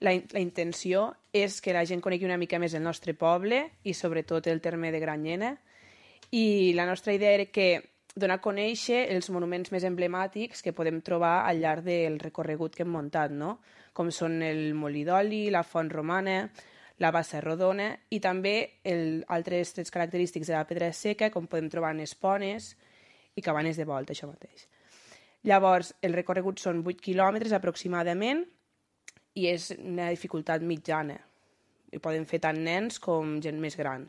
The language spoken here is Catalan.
la intenció és que la gent conegui una mica més el nostre poble i sobretot el terme de Granyena. I la nostra idea era que donar a conèixer els monuments més emblemàtics que podem trobar al llarg del recorregut que hem muntat, no? Com són el Molí d'Oli, la Font Romana, la Bassa Rodona i també altres trets característics de la Pedra Seca, com podem trobar en Espones i Cabanes de Volta, això mateix. Llavors, el recorregut són 8 quilòmetres aproximadament i és una dificultat mitjana. I poden fer tant nens com gent més gran.